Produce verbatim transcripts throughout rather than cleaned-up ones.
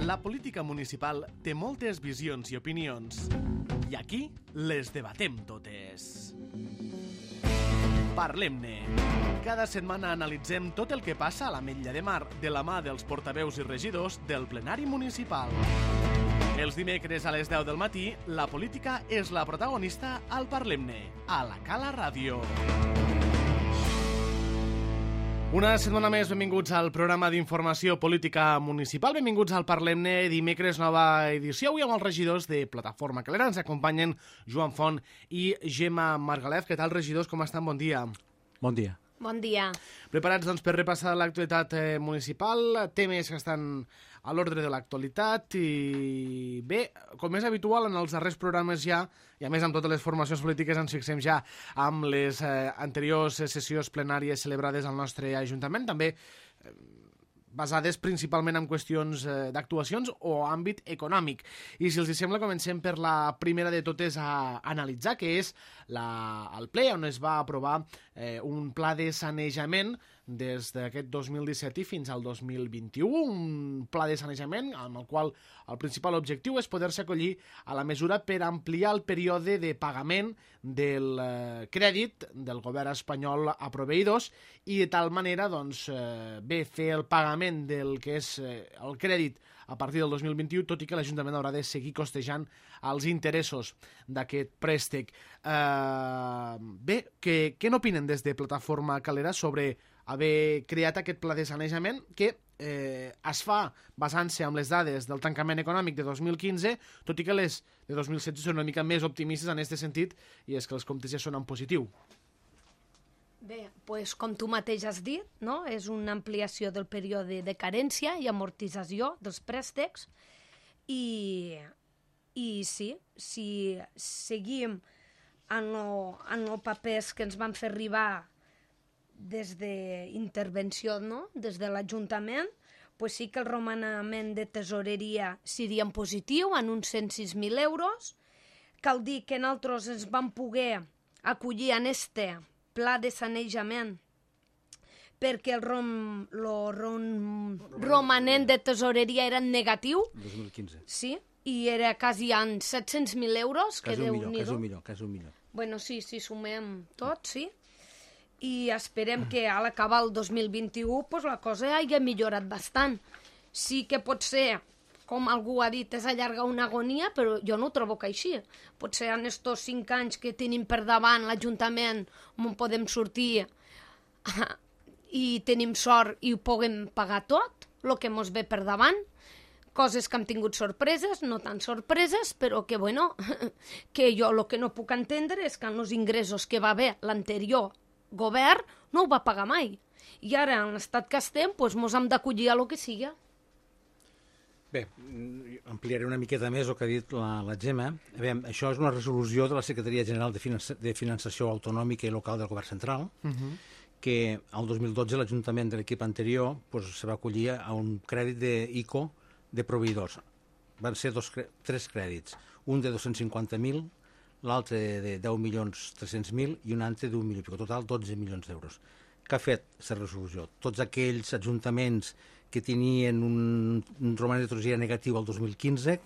La política municipal té moltes visions i opinions, i aquí les debatem totes. Parlem-ne. Cada setmana analitzem tot el que passa a l'Ametlla de Mar de la mà dels portaveus i regidors del plenari municipal. Els dimecres a les deu del matí, la política és la protagonista al Parlem-ne, a la Cala Ràdio. Una setmana més, benvinguts al programa d'informació política municipal. Benvinguts al Parlem-ne, dimecres, nova edició. Avui amb els regidors de Plataforma Calera. Ens acompanyen Joan Font i Gemma Margalef. Què tal, regidors? Com estan? Bon dia. Bon dia. Bon dia. Preparats doncs, per repassar l'actualitat eh, municipal, temes que estan a l'ordre de l'actualitat i bé, com és habitual en els darrers programes ja, i a més amb totes les formacions polítiques ens fixem ja amb les eh, anteriors sessions plenàries celebrades al nostre Ajuntament, també eh, basades principalment en qüestions eh, d'actuacions o àmbit econòmic. I si els sembla, comencem per la primera de totes a analitzar, que és la, el ple on es va aprovar eh, un pla de sanejament des d'aquest dos mil disset i fins al dos mil vint-i-u, un pla de sanejament amb el qual el principal objectiu és poder-se acollir a la mesura per ampliar el període de pagament del eh, crèdit del govern espanyol a proveïdors i de tal manera, doncs, eh, bé, fer el pagament del que és eh, el crèdit a partir del dos mil vint-i-u, tot i que l'Ajuntament haurà de seguir costejant els interessos d'aquest préstec. Eh, bé, què, què n'opinen des de Plataforma Calera sobre haver creat aquest pla de sanejament que eh, es fa basant-se en les dades del tancament econòmic de dos mil quinze, tot i que les de dos mil setze són una mica més optimistes en aquest sentit, i és que els comptes ja són en positiu. Bé, pues, com tu mateix has dit, no? És una ampliació del període de carència i amortització dels préstecs i, i sí, si seguim en els papers que ens van fer arribar des d'intervenció, no? Des de l'Ajuntament, pues sí que el romanament de tesoreria seria en positiu, en uns cent sis mil euros. Cal dir que nosaltres ens vam poder acollir en este pla de sanejament perquè el, rom, lo rom, romanent de tesoreria era en negatiu. dos mil quinze. Sí, i era quasi en set-cents mil euros. Quasi un milió, quasi un milió, quasi un milió. Bueno, sí, si sumem tot, sí. I esperem que a l'acabar el dos mil vint-i-u pues, la cosa hagi millorat bastant. Sí que pot ser, com algú ha dit, és allargar una agonia, però jo no ho trobo que així. Potser en estos cinc anys que tenim per davant l'Ajuntament on podem sortir i tenim sort i ho puguem pagar tot, el que mos ve per davant. Coses que hem tingut sorpreses, no tan sorpreses, però que, bueno, que jo el que no puc entendre és que en els ingressos que va haver l'anterior govern no ho va pagar mai. I ara, en l'estat que estem, doncs mos hem d'acollir a lo que sigui. Bé, ampliaré una miqueta més el que ha dit la, la Gemma. Veiem, això és una resolució de la Secretaria General de, Finança, de Finançació Autonòmica i Local del Govern Central, uh-huh. que el dos mil dotze l'Ajuntament de l'equip anterior pues, se va acollir a un crèdit d'ICO de proveïdors. Van ser dos, tres crèdits, un de dos-cents cinquanta mil, l'altre de deu milions tres-cents mil i un altre d'un milió i pico, total dotze milions d'euros. Què ha fet aquesta resolució? Tots aquells ajuntaments que tenien un, un romanent de tesoreria negatiu el dos mil quinze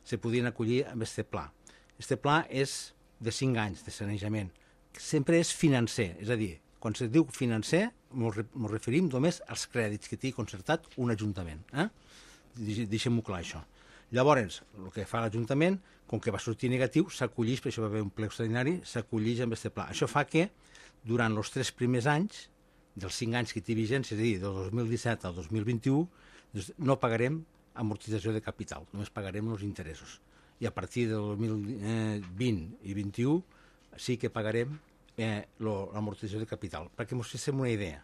se podien acollir amb aquest pla. Aquest pla és de cinc anys de sanejament. Sempre és financer, és a dir, quan se diu financer ens referim només als crèdits que té concertat un ajuntament. Eh? Deixem-ho clar, això. Llavors, el que fa l'Ajuntament, com que va sortir negatiu, s'acollix, per això va haver un ple extraordinari, s'acollix amb aquest pla. Això fa que, durant els tres primers anys, dels cinc anys que té vigència, és a dir, del dos mil disset al dos mil vint-i-u, doncs no pagarem amortització de capital, només pagarem els interessos. I a partir del dos mil vint i vint-i-u sí que pagarem eh, l'amortització de capital. Perquè ens fem una idea.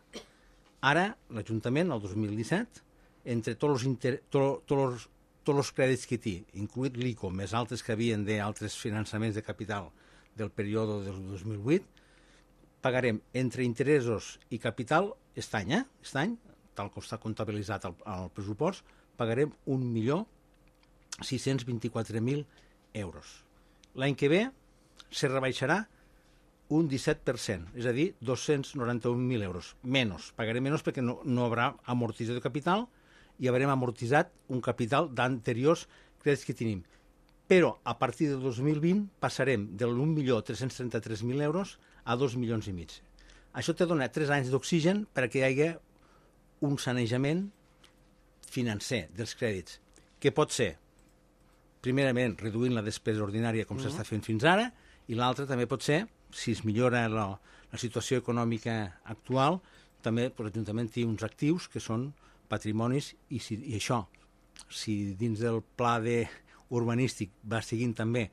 Ara, l'Ajuntament, el dos mil disset, entre tots els, inter... tots els tots els crèdits que té, incluït l'ICO, més altres que havien d'altres finançaments de capital del període del dos mil vuit, pagarem entre interessos i capital, aquest any, eh? aquest any, tal com està comptabilitzat al, al pressupost, pagarem un milió sis-cents vint-i-quatre mil euros. L'any que ve se rebaixarà un disset per cent, és a dir, dos-cents noranta-un mil euros. Menys, pagarem menys perquè no, no hi haurà amortització de capital i haurem amortitzat un capital d'anteriors crèdits que tenim. Però a partir del dos mil vint passarem de un milió tres-cents trenta-tres mil euros a dos milions i mig. Això te dona tres anys d'oxigen perquè hi hagi un sanejament financer dels crèdits, que pot ser, primerament, reduint la despesa ordinària com uh-huh. s'està fent fins ara, i l'altre també pot ser, si es millora la, la situació econòmica actual, també l'Ajuntament té uns actius que són patrimonis, i, si, i això, si dins del pla de urbanístic va seguint també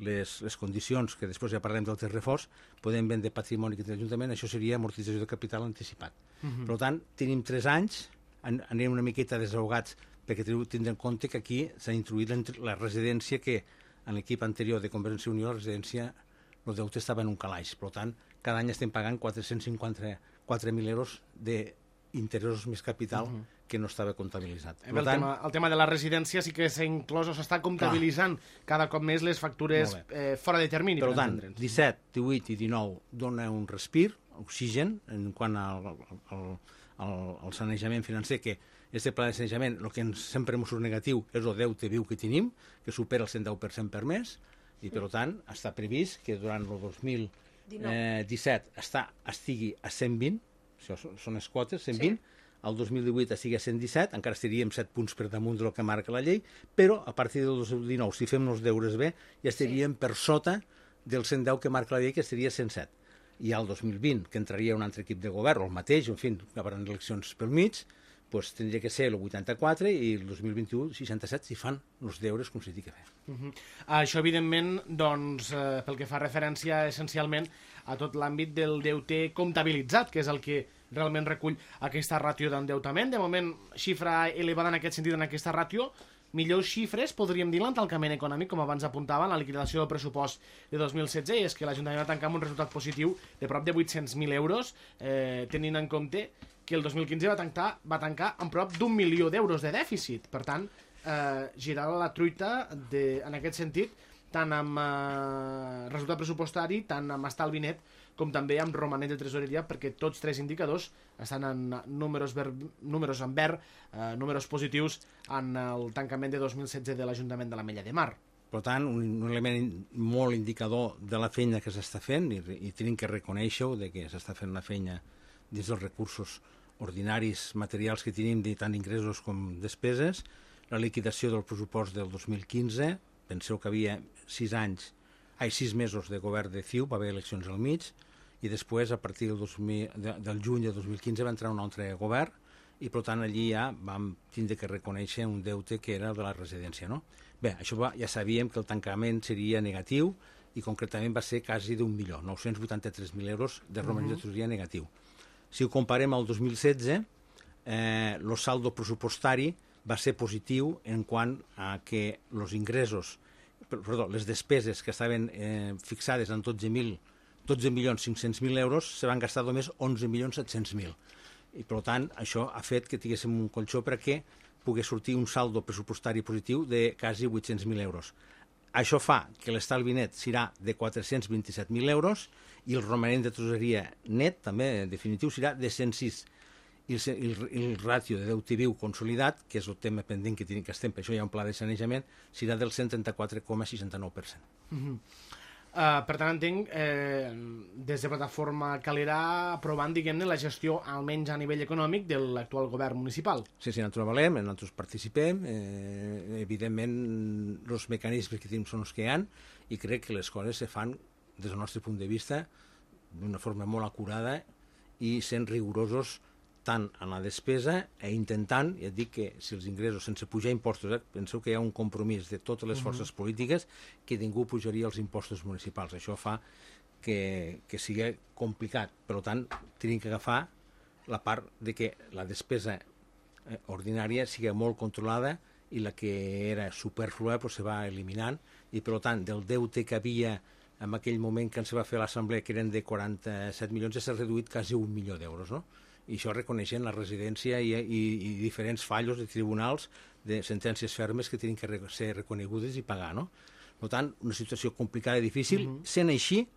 les, les condicions, que després ja parlem del terrefors, podem vendre patrimoni que té l'Ajuntament, això seria amortització de capital anticipat. Uh-huh. Per tant, tenim tres anys, an anem una miqueta desahogats, perquè tindrem en compte que aquí s'ha introduït la residència que en l'equip anterior de Convergència i Unió, la residència, el deute estava en un calaix. Per tant, cada any estem pagant quatre-cents cinquanta-quatre mil euros d'interessos més capital uh -huh. que no estava comptabilitzat. El, tant, tema, el tema de la residència sí que s'ha inclòs o s'està comptabilitzant clar. cada cop més les factures eh, fora de termini. Per tant, disset, divuit i dinou dona un respir, oxigen, en quant al, al, al, al sanejament financer, que aquest pla de sanejament, el que ens, sempre ens surt negatiu és el deute viu que tenim, que supera el cent deu per cent per mes, i per tant està previst que durant el dos mil disset està, estigui a cent vint, això són les quotes, cent vint, sí. El dos mil divuit estigui a cent disset, encara estaríem set punts per damunt del que marca la llei, però a partir del dos mil dinou, si fem els deures bé, ja estaríem sí. per sota del cent deu que marca la llei, que seria cent set. I al dos mil vint, que entraria un altre equip de govern, o el mateix, en fi, que hi haurà eleccions pel mig, doncs tindria que ser el vuitanta-quatre i el dos mil vint-i-u, seixanta-set, si fan els deures com s'hi ha de fer. Uh -huh. Això, evidentment, doncs, eh, pel que fa referència essencialment a tot l'àmbit del deute comptabilitzat, que és el que realment recull aquesta ràtio d'endeutament. De moment, xifra elevada en aquest sentit, en aquesta ràtio. Millors xifres, podríem dir, l'entancament econòmic, com abans apuntava, en la liquidació del pressupost de dos mil setze, i és que l'Ajuntament va tancar amb un resultat positiu de prop de vuit-cents mil euros, eh, tenint en compte que el dos mil quinze va tancar, va tancar amb prop d'un milió d'euros de dèficit. Per tant, eh, girar la truita de, en aquest sentit, tant amb eh, resultat pressupostari, tant amb estalvi net, com també amb romanent de tresoreria, perquè tots tres indicadors estan en números, ver, números en verd, eh, números positius en el tancament de dos mil setze de l'Ajuntament de l'Ametlla de Mar. Per tant, un, un element molt indicador de la feina que s'està fent, i, i tenim que reconèixer-ho, de que s'està fent la feina dins dels recursos ordinaris materials que tenim, de tant ingressos com despeses, la liquidació del pressupost del dos mil quinze, penseu que havia sis anys, ai, sis mesos de govern de C I U, va haver eleccions al mig, i després, a partir del, dos mil, de, del juny de dos mil quinze, va entrar un altre govern, i per tant allí ja vam tindre que reconèixer un deute que era de la residència, no? Bé, això va, ja sabíem que el tancament seria negatiu, i concretament va ser quasi d'un milió, nou-cents vuitanta-tres mil euros de romanent uh -huh. de tresoreria negatiu. Si ho comparem al dos mil setze, eh, el saldo pressupostari va ser positiu en quant a que els ingressos, perdó, les despeses que estaven eh, fixades en dotze milions cinc-cents mil euros se van gastar només onze milions set-cents mil. I per tant, això ha fet que tinguéssim un colxó perquè pogués sortir un saldo pressupostari positiu de quasi vuit-cents mil euros. Això fa que l'estalvi net serà de quatre-cents vint-i-set mil euros i el romanent de tresoreria net, també en definitiu, serà de cent sis. I el, el, el ràtio de deute viu consolidat, que és el tema pendent que, tenim, que estem, per això hi ha un pla de sanejament, serà del cent trenta-quatre coma seixanta-nou per cent. Uh -huh. Uh, per tant, entenc, eh, des de Plataforma Calera aprovant, diguem-ne, la gestió, almenys a nivell econòmic, de l'actual govern municipal. Sí, sí, nosaltres valem, nosaltres participem, eh, evidentment els mecanismes que tenim són els que hi ha, i crec que les coses se fan, des del nostre punt de vista, d'una forma molt acurada i sent rigorosos tant en la despesa e intentant, ja et dic que si els ingressos sense pujar impostos, eh, penseu que hi ha un compromís de totes les forces uh -huh. polítiques que ningú pujaria els impostos municipals. Això fa que, que sigui complicat. Per tant, tenim que agafar la part de que la despesa eh, ordinària sigui molt controlada i la que era superflua pues, se va eliminant, i per tant, del deute que havia en aquell moment que ens va fer l'assemblea, que eren de quaranta-set milions, ja s'ha reduït quasi un milió d'euros, no? I això reconeixent la residència i, i, i diferents fallos de tribunals de sentències fermes que tenen que ser reconegudes i pagar, no? Per tant, una situació complicada i difícil. Uh-huh. Sent així,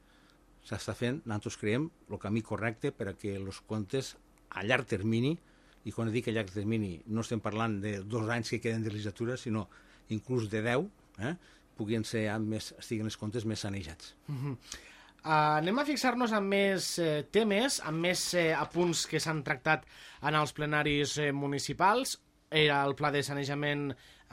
s'està fent, nosaltres creiem, el camí correcte per a que els comptes a llarg termini i quan dic a llarg termini no estem parlant de dos anys que queden de legislatura, sinó inclús de deu, eh, puguin ser més, estiguin els comptes més sanejats. Uh-huh. Uh, anem a fixar-nos en més eh, temes, en més eh, apunts que s'han tractat en els plenaris eh, municipals. Era el pla de sanejament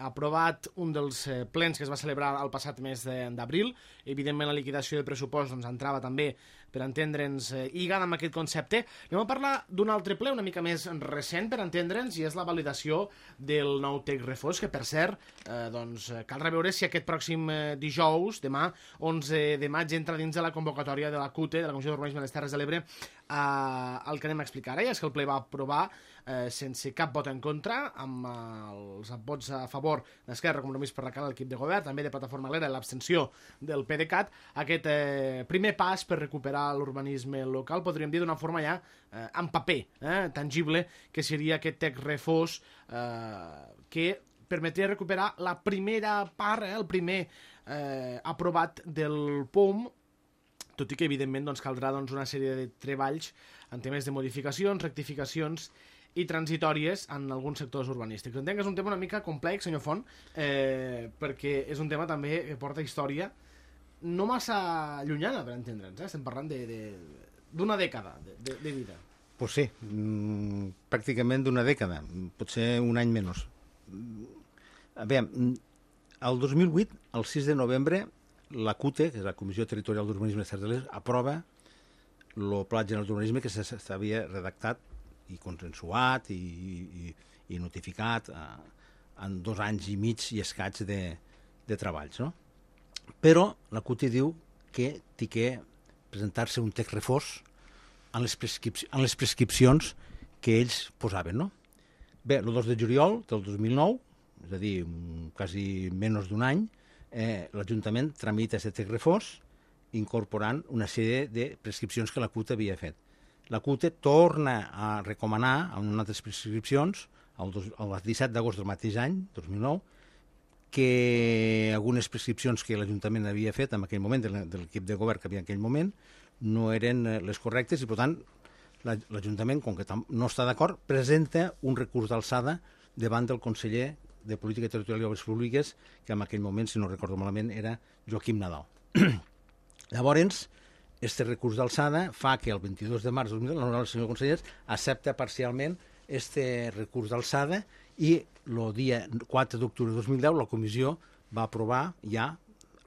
aprovat, un dels eh, plens que es va celebrar el passat mes d'abril. Evidentment, la liquidació de pressupost doncs, entrava també, per entendre'ns, eh, lligada amb aquest concepte. Anem a parlar d'un altre ple una mica més recent, per entendre'ns, i és la validació del nou Tec Refós, que, per cert, eh, doncs, cal reveure si aquest pròxim eh, dijous, demà, onze de maig, entra dins de la convocatòria de la C U T E, de la Comissió d'Urbanisme de les Terres de l'Ebre, eh, el que anem a explicar ara, i és que el ple va aprovar eh, sense cap vot en contra, amb eh, els vots a favor d'Esquerra, Compromís per la Cara, l'equip de govern, també de Plataforma Alegre, l'abstenció del PDeCAT, aquest eh, primer pas per recuperar l'urbanisme local, podríem dir d'una forma ja eh, en paper, eh, tangible, que seria aquest Tec Refós, eh, que permetria recuperar la primera part, eh, el primer eh, aprovat del P O M, tot i que, evidentment, doncs, caldrà doncs, una sèrie de treballs en temes de modificacions, rectificacions i transitòries en alguns sectors urbanístics. Entenc que és un tema una mica complex, senyor Font, eh, perquè és un tema també que porta història no massa llunyana, per entendre'ns. Eh? Estem parlant d'una dècada de, de, de vida. Pues sí, mm, pràcticament d'una dècada, potser un any menys. A veure, el dos mil vuit, el sis de novembre, la C U T E, que és la Comissió Territorial d'Urbanisme de Terres de l'Ebre, aprova el Pla General d'Urbanisme que s'havia redactat i consensuat i, i, i notificat eh, en dos anys i mig i escaig de, de treballs, no? Però la C U T E diu que té que presentar-se un Tec Refós en les, prescripci en les prescripcions que ells posaven, no? Bé, el dos de juliol del dos mil nou, és a dir, quasi menys d'un any, eh, l'Ajuntament tramita aquest Tec Refós incorporant una sèrie de prescripcions que la C U T E havia fet. La C U T E torna a recomanar en unes altres prescripcions, el, dos, el disset d'agost del mateix any, dos mil nou, que algunes prescripcions que l'Ajuntament havia fet en aquell moment, de l'equip de govern que havia en aquell moment, no eren les correctes i, per tant, l'Ajuntament, com que no està d'acord, presenta un recurs d'alçada davant del conseller de Política Territorial i Obres Públiques, que en aquell moment, si no recordo malament, era Joaquim Nadal. Llavors, este recurs d'alçada fa que el vint-i-dos de març de dos mil deu l'honorable senyor conseller accepta parcialment este recurs d'alçada i el dia quatre d'octubre de dos mil deu la comissió va aprovar ja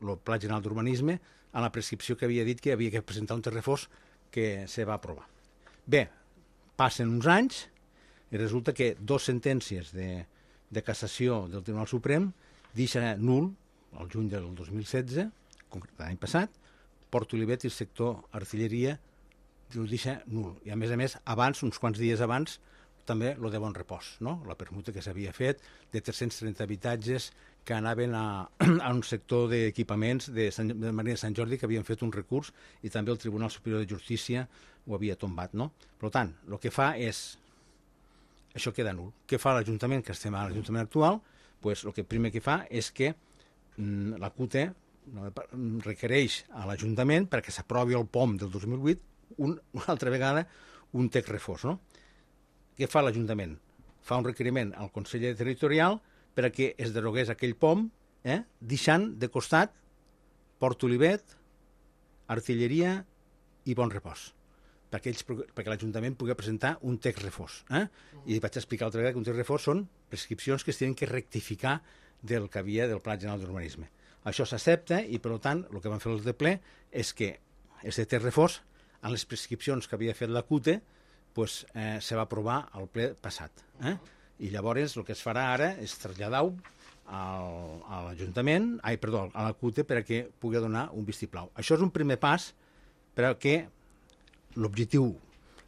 el Pla General d'Urbanisme a la prescripció que havia dit que havia que presentar un Tec Refós que se va aprovar. Bé, passen uns anys i resulta que dos sentències de, de cassació del Tribunal Suprem deixa nul, el juny del dos mil setze, l'any passat, Port Olivet i el sector artilleria el deixa nul. I a més a més, abans, uns quants dies abans, també lo de Bon Repòs, no? La permuta que s'havia fet de tres-cents trenta habitatges que anaven a, a un sector d'equipaments de, Sant, de Marina de Sant Jordi que havien fet un recurs i també el Tribunal Superior de Justícia ho havia tombat, no? Per tant, el que fa és... Això queda nul. Què fa l'Ajuntament, que estem a l'Ajuntament actual? Pues, el que primer que fa és que mm, la C U T E requereix a l'Ajuntament perquè s'aprovi el P O M del dos mil vuit un, una altra vegada un Tec Refós, no? Què fa l'Ajuntament? Fa un requeriment al conseller territorial perquè es derogués aquell P O M, eh, deixant de costat Port Olivet, Artilleria i Bon Repòs, perquè, ells, perquè l'Ajuntament pugui presentar un Tec Refós. Eh? I vaig explicar l'altra vegada que un Tec Refós són prescripcions que es tenen que rectificar del que havia del Pla General d'Urbanisme. Això s'accepta i, per tant, el que van fer els de ple és que aquest Tec Refós, en les prescripcions que havia fet la C U T E, pues, eh, se va aprovar al ple passat. Eh? I llavors el que es farà ara és traslladar-ho a l'Ajuntament, ai, perdó, a la C U T E perquè pugui donar un vistiplau. Això és un primer pas perquè l'objectiu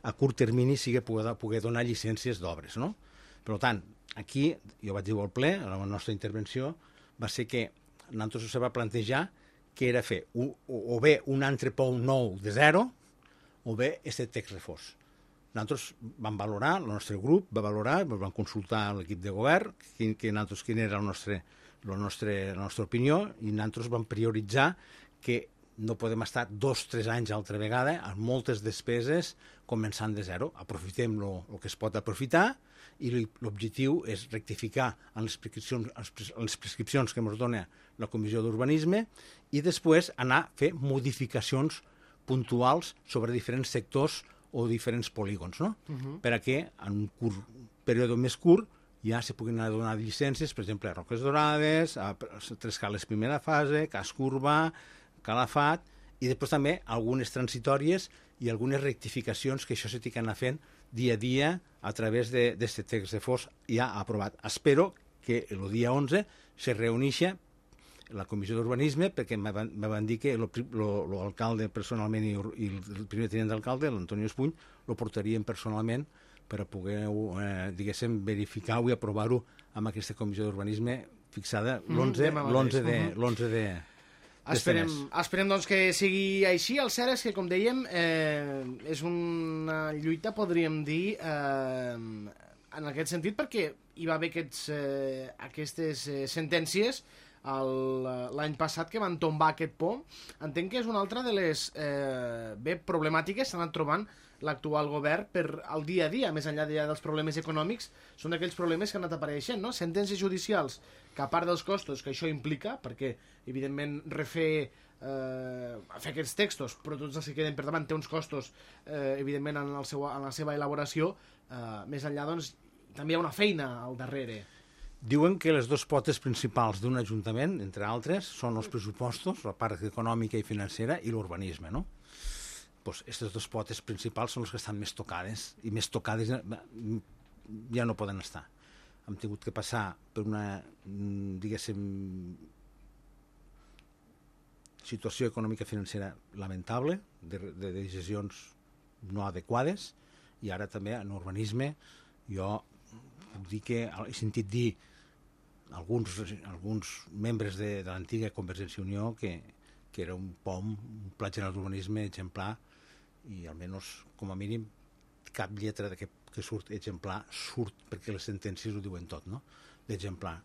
a curt termini sigui poder, poder donar llicències d'obres, no? Per tant, aquí, jo vaig dir al ple, a la nostra intervenció, va ser que nosaltres se va plantejar que era fer un, o, o bé un altre P O M nou de zero o bé aquest Tec Refós. Nosaltres vam valorar, el nostre grup va valorar, vam consultar l'equip de govern, quin, que nosaltres, quina era el nostre, el nostre, la nostra opinió, i nosaltres vam prioritzar que no podem estar dos o tres anys altra vegada amb moltes despeses començant de zero. Aprofitem el que es pot aprofitar i l'objectiu és rectificar en les prescripcions, en les prescripcions que ens dona la Comissió d'Urbanisme i després anar a fer modificacions puntuals sobre diferents sectors o diferents polígons, no? Uh-huh. Per a que en un curt període més curt ja se puguin donar llicències, per exemple, a Roques Dorades, a Tres Cales primera fase, Casc Urbà, Calafat, i després també algunes transitòries i algunes rectificacions que això se t'hi anar fent dia a dia a través d'aquest text de fos ja aprovat. Espero que el dia onze se reunixa la Comissió d'Urbanisme, perquè me van, me van dir que l'alcalde personalment i, i el primer tinent d'alcalde, l'Antonio Espuny, lo portarien personalment per a poder, eh, diguéssim, verificar-ho i aprovar-ho amb aquesta Comissió d'Urbanisme fixada l'onze de... l'onze de Esperem, esperem doncs, que sigui així. El cert és que, com dèiem, eh, és una lluita, podríem dir, eh, en aquest sentit, perquè hi va haver aquests, eh, aquestes eh, sentències l'any passat que van tombar aquest pont. Entenc que és una altra de les eh, bé problemàtiques que s'han anat trobant l'actual govern per al dia a dia, més enllà dels problemes econòmics, són aquells problemes que han anat apareixent, no? Sentències judicials que, a part dels costos que això implica, perquè, evidentment, refer, eh, fer aquests textos, però tots els que queden per davant, té uns costos, eh, evidentment, en, el seu, en la seva elaboració, eh, més enllà, doncs, també hi ha una feina al darrere. Diuen que les dues potes principals d'un ajuntament, entre altres, són els pressupostos, la part econòmica i financera, i l'urbanisme, no? Pues aquestes dues potes principals són les que estan més tocades, i més tocades ja no poden estar. Hem tingut que passar per una, diguéssim, situació econòmica financera lamentable, de, de decisions no adequades, i ara també en urbanisme jo puc dir que he sentit dir alguns, alguns membres de, de l'antiga Convergència i Unió que, que era un P O M, un pla general d'urbanisme exemplar, i almenys, com a mínim, cap lletra que, que surt exemplar surt perquè les sentències ho diuen tot, no? D'exemplar,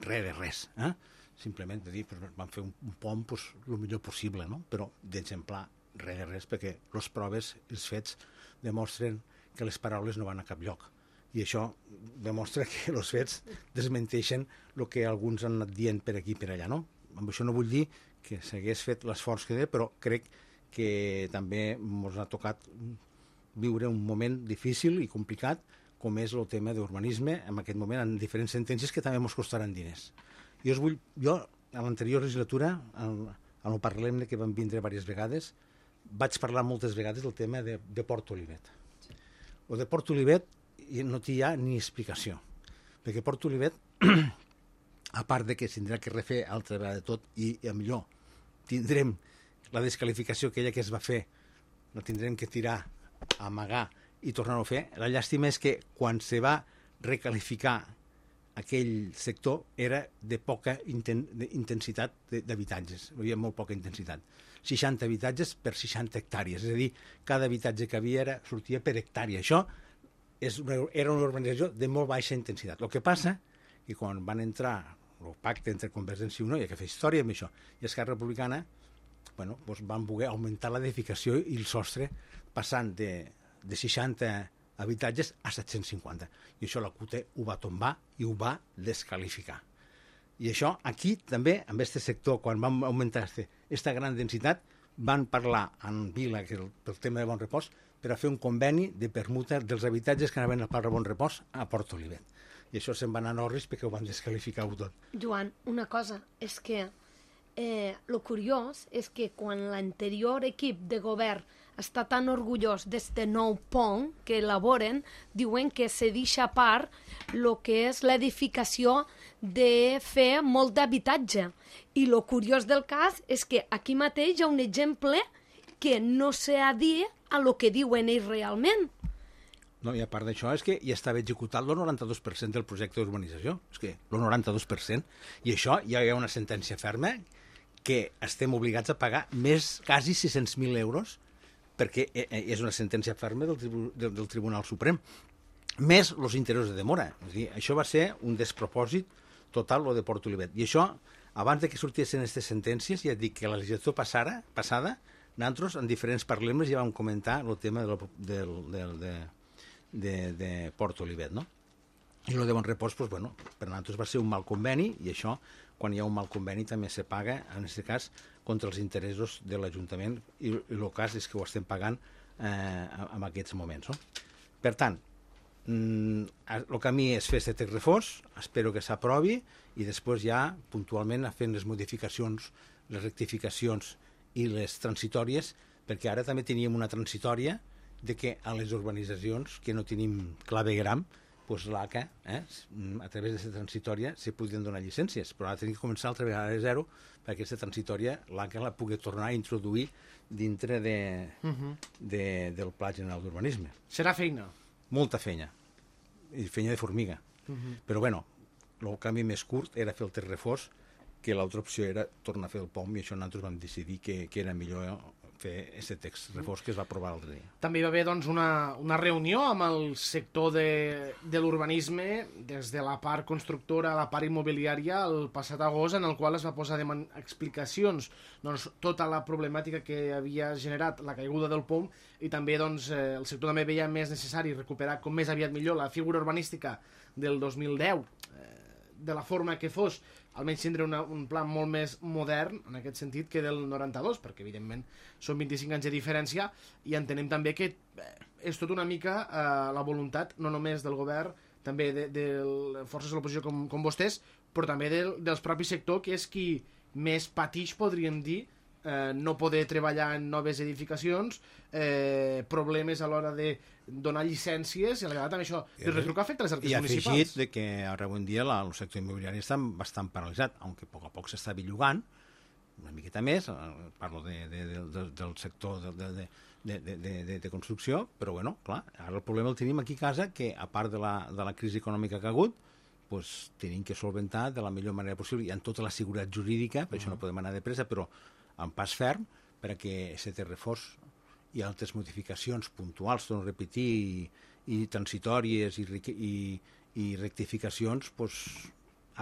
res de res, eh? Simplement de dir, pues, van fer un, un P O M pues, el millor possible, no? Però d'exemplar res de res, perquè les proves, els fets, demostren que les paraules no van a cap lloc. I això demostra que els fets desmenteixen el que alguns han anat dient per aquí i per allà, no? Amb això no vull dir que s'hagués fet l'esforç que té, però crec que també ens ha tocat viure un moment difícil i complicat, com és el tema d'urbanisme, en aquest moment, en diferents sentències que també ens costaran diners. Jo, us vull, jo a l'anterior legislatura, en, en el Parlem que vam vindre diverses vegades, vaig parlar moltes vegades del tema de, de Port Olivet. O de Port Olivet no hi ha ni explicació, perquè Port Olivet, a part de que s'indrà que refer altra vegada de tot, i, i a millor tindrem la descalificació aquella que es va fer, la tindrem que tirar, amagar i tornar-ho a fer. La llàstima és que quan se va recalificar aquell sector era de poca inten intensitat d'habitatges, hi havia molt poca intensitat. seixanta habitatges per seixanta hectàrees, és a dir, cada habitatge que havia era, sortia per hectàrea. Això és una, era una urbanització de molt baixa intensitat. El que passa que quan van entrar el pacte entre Convergència i Unió, i que fa història amb això, i Esquerra Republicana, bueno, doncs van voler augmentar l'edificació i el sostre, passant de, de seixanta habitatges a set-cents cinquanta. I això la C U T E ho va tombar i ho va descalificar. I això aquí també, amb aquest sector, quan vam augmentar aquesta gran densitat, van parlar en Vila, que el, pel tema de Bon Repòs, per a fer un conveni de permuta dels habitatges que anaven a Parc de Bon Repòs a Port Olivet. I això se'n va anar a Norris perquè ho van descalificar-ho tot. Joan, una cosa, és que eh, lo curiós és que quan l'anterior equip de govern està tan orgullós d'este nou pont que elaboren, diuen que se deixa a part el que és l'edificació de fer molt d'habitatge. I lo curiós del cas és que aquí mateix hi ha un exemple que no s'ha dit a lo que diuen ells realment. No, i a part d'això és que ja estava executat el noranta-dos per cent del projecte d'urbanització. És que el noranta-dos per cent. I això ja hi ha una sentència ferma que estem obligats a pagar més, quasi sis-cents mil euros, perquè és una sentència ferma del, tribu del, del Tribunal Suprem, més els interessos de demora. És a dir, això va ser un despropòsit total, lo de Port Olivet. I això abans de que sortissin aquestes sentències, ja et dic que la legislatura passada, passada nosaltres en diferents parlemes ja vam comentar el tema del, del, del, de, de, de Port Olivet, no? I el de bon repòs, doncs, bueno, per nosaltres va ser un mal conveni, i això, quan hi ha un mal conveni, també se paga, en aquest cas, contra els interessos de l'Ajuntament, i, i el cas és que ho estem pagant eh, en aquests moments, no? Per tant, el camí és fer aquest text refós, espero que s'aprovi, i després ja, puntualment, fent les modificacions, les rectificacions i les transitòries, perquè ara també teníem una transitòria de que a les urbanitzacions que no tenim clavegram, doncs l'A C A, eh, a través d'aquesta transitòria, se podien donar llicències, però ara tenim que començar altra vegada de zero perquè aquesta transitòria l'A C A la pugui tornar a introduir dintre de, uh-huh. de, del Pla General d'Urbanisme. Serà feina? Molta feina, i feina de formiga. Uh-huh. Però bueno, el canvi més curt era fer el text reforç, que l'altra opció era tornar a fer el P O M, i això nosaltres vam decidir que, que era millor fer aquest text reforç que es va aprovar l'altre dia. També hi va haver doncs, una, una reunió amb el sector de, de l'urbanisme, des de la part constructora a la part immobiliària, el passat agost, en el qual es va posar de explicacions doncs, tota la problemàtica que havia generat la caiguda del P O M, i també doncs, eh, el sector també veia més necessari recuperar com més aviat millor la figura urbanística del dos mil deu, eh, de la forma que fos, almenys tindre una, un pla molt més modern, en aquest sentit, que del noranta-dos, perquè, evidentment, són vint-i-cinc anys de diferència, i entenem també que eh, és tot una mica eh, la voluntat, no només del govern, també de, de forces de l'oposició com, com vostès, però també del, dels propis sector, que és qui més patix, podríem dir, eh, no poder treballar en noves edificacions, eh, problemes a l'hora de donar llicències, i a la vegada també això de retrucar afecta les arques municipals. I afegit de que ara avui en dia la, el sector immobiliari està bastant paralitzat, aunque a poc a poc s'està bellugant, una miqueta més, parlo de, de, de, del sector de, de, de, de, de, de construcció, però bueno, clar, ara el problema el tenim aquí a casa, que a part de la, de la crisi econòmica que ha hagut, pues, tenim que solventar de la millor manera possible, i amb tota la seguretat jurídica, per uh-huh. això no podem anar de pressa, però amb pas ferm, perquè aquest reforç i altres modificacions puntuals, torno a repetir, i, i transitòries i, i, i rectificacions, pues,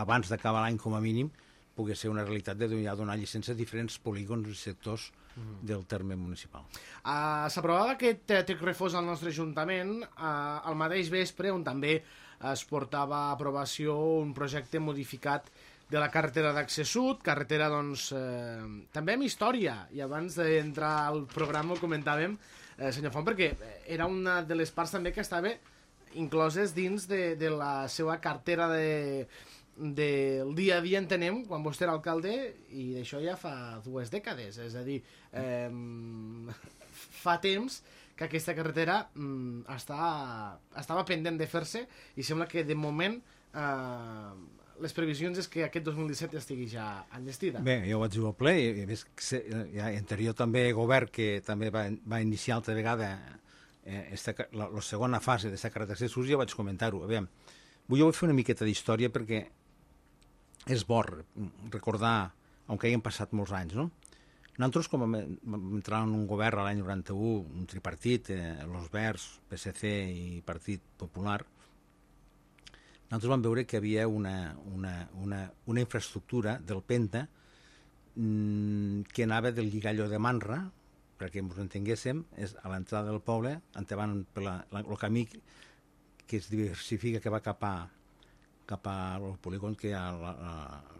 abans d'acabar l'any com a mínim, pugui ser una realitat de ja donar llicència a diferents polígons i sectors mm. del terme municipal. Uh, S'aprovava aquest text reforç al nostre Ajuntament uh, al mateix vespre, on també es portava a aprovació un projecte modificat de la carretera d'Accés Sud, carretera, doncs, eh, també amb història, i abans d'entrar al programa ho comentàvem, eh, senyor Font, perquè era una de les parts també que estava incloses dins de, de la seva cartera de, del dia a dia, entenem, quan vostè era alcalde, i d'això ja fa dues dècades, és a dir, eh, fa temps que aquesta carretera mm, està, estava pendent de fer-se, i sembla que de moment eh, les previsions és que aquest dos mil disset ja estigui ja enllestida. Bé, jo vaig dir al ple, i a més, ja anterior també govern que també va, va iniciar altra vegada eh, esta, la, la segona fase d'aquesta carretera d'accés Sud, ja vaig comentar-ho. Aviam, vull jo vull fer una miqueta d'història perquè és bo recordar, aunque hagin passat molts anys, no? Nosaltres, com vam entrar en un govern l'any noranta-u, un tripartit, eh, los Verds, P S C i Partit Popular, nosaltres vam veure que hi havia una, una, una, una infraestructura del Penta mmm, que anava del Lligalló de Manra, perquè ens entenguéssim, és a l'entrada del poble, endavant per la, la, el camí que es diversifica, que va cap a cap al polígon que hi ha a, a,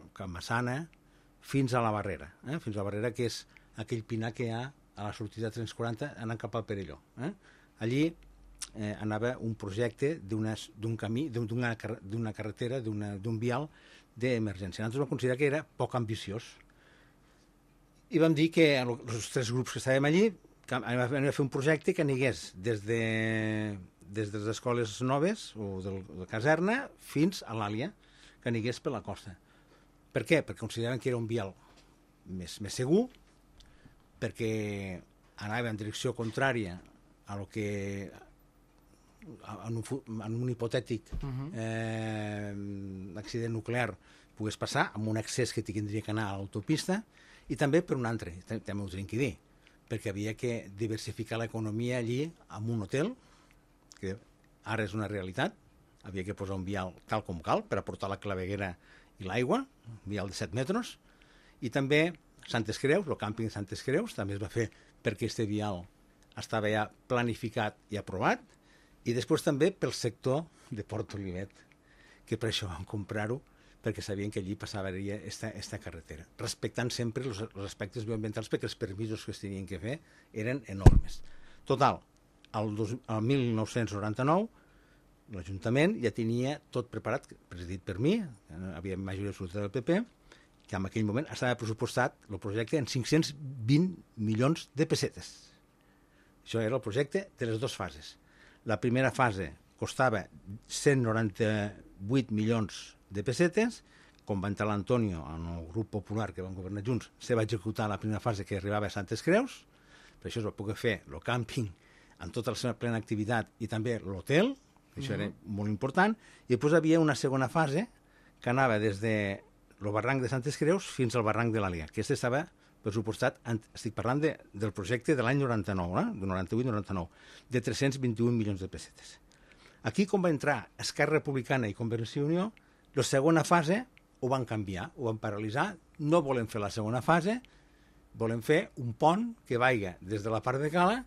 a Can Massana, fins a la Barrera, eh? fins a la Barrera, que és aquell pinar que hi ha a la sortida de tres quaranta anant cap al Perelló. Eh? Allí eh, anava un projecte d'un camí, d'una carretera, d'un vial d'emergència. Nosaltres vam considerar que era poc ambiciós. I vam dir que els tres grups que estàvem allí anem a fer un projecte que anigués des de, des de les escoles noves o de la caserna fins a l'Àlia, que anigués per la costa. Per què? Perquè consideraven que era un vial més, més segur, perquè anava en direcció contrària a lo que en un, en un hipotètic uh-huh. eh, accident nuclear pogués passar, amb un accés que tindria que anar a l'autopista, i també per un altre, també ho tenim que dir, perquè havia que diversificar l'economia allí amb un hotel, que ara és una realitat, havia que posar un vial tal com cal per aportar la claveguera i l'aigua, vial de set metres, i també Santes Creus, el càmping de Santes Creus, també es va fer perquè este vial estava ja planificat i aprovat, i després també pel sector de Port Olivet, que per això vam comprar-ho, perquè sabien que allí passaria esta, esta carretera, respectant sempre els, els aspectes bioambientals, perquè els permisos que es tenien que fer eren enormes. Total, el, dos, el mil nou-cents noranta-nou, l'Ajuntament ja tenia tot preparat, presidit per mi, havia majoria absoluta del P P, que en aquell moment estava pressupostat el projecte en cinc-cents vint milions de pessetes. Això era el projecte de les dues fases. La primera fase costava cent noranta-vuit milions de pessetes, com va entrar l'Antonio en el grup popular que van governar junts, se va executar la primera fase que arribava a Santes Creus, per això es va poder fer el càmping en tota la seva plena activitat i també l'hotel, això era molt important, i després hi havia una segona fase que anava des de el barranc de Santes Creus fins al barranc de l'Àliga, que aquest estava pressupostat, estic parlant de, del projecte de l'any noranta-nou, eh? de noranta-vuit noranta-nou, de tres-cents vint-i-un milions de pessetes. Aquí, com va entrar Esquerra Republicana i Convergència i Unió, la segona fase ho van canviar, ho van paralitzar, no volem fer la segona fase, volem fer un pont que vaiga des de la part de Cala